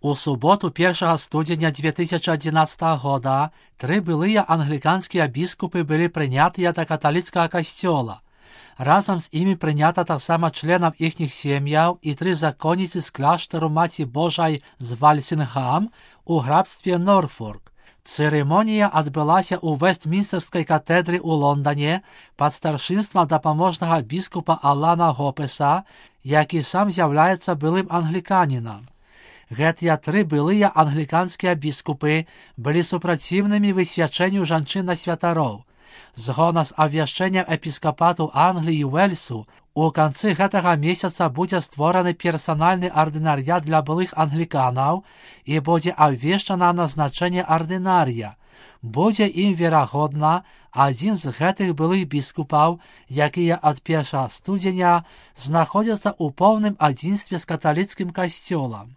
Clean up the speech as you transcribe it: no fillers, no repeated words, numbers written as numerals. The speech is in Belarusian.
У суботу 1 студеня 2011 года 3 былыя англіканскія біскупы былі прынятыя да каталіцкага касцёла. Разам з імі прынята таксама членаў іхніх сем'яў і 3 законніцы з кляштару Маці Божай з Вальсінгам у графстве Норфолк. Цырымонія адбылася ў Вестмінстэрскай катэдры ў Лондане пад старшынствам дапаможнага біскупа Алана Гопеса, які сам з'яўляецца былым англіканінам. Гэтыя 3 былыя англіканскія біскупы былі супраціўнымі высвячэнню жанчын на святароў. Згодна з абвяшчэннем епіскапату Англіі і Уэльсу, у канцы гэтага месяца будзе створаны персанальны ардынарыят для былых англіканаў і будзе абвешчана назначэнне ардынарыя. Будзе ім, верагодна, адзін з гэтых былых біскупаў, якія ад 1 студзеня знаходзяцца ў поўным адзінстве з каталіцкім касцёлам.